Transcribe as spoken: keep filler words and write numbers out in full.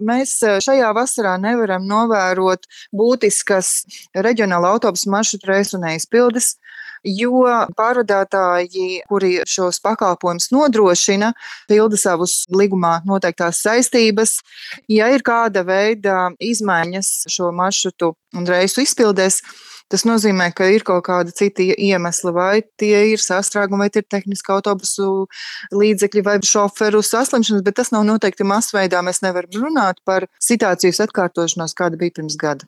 mēs šajā vasarā nevaram novērot būtiskas reģionāla autobusu maršrutu reisu neizpildes, jo pārvadātāji, kuri šos pakalpojumus nodrošina, pilda savus līgumā noteiktās saistības. Ja ir kāda veida izmaiņas šo maršrutu un reisu izpildēs, tas nozīmē, ka ir kaut kāda cita iemesla, vai tie ir sastrēgumi, vai tie ir tehniski autobusu līdzekļi vai šoferu saslimšanas, bet tas nav noteikti masveidā. Mēs nevaram runāt par situācijas atkārtošanos, kāda bija pirms gada.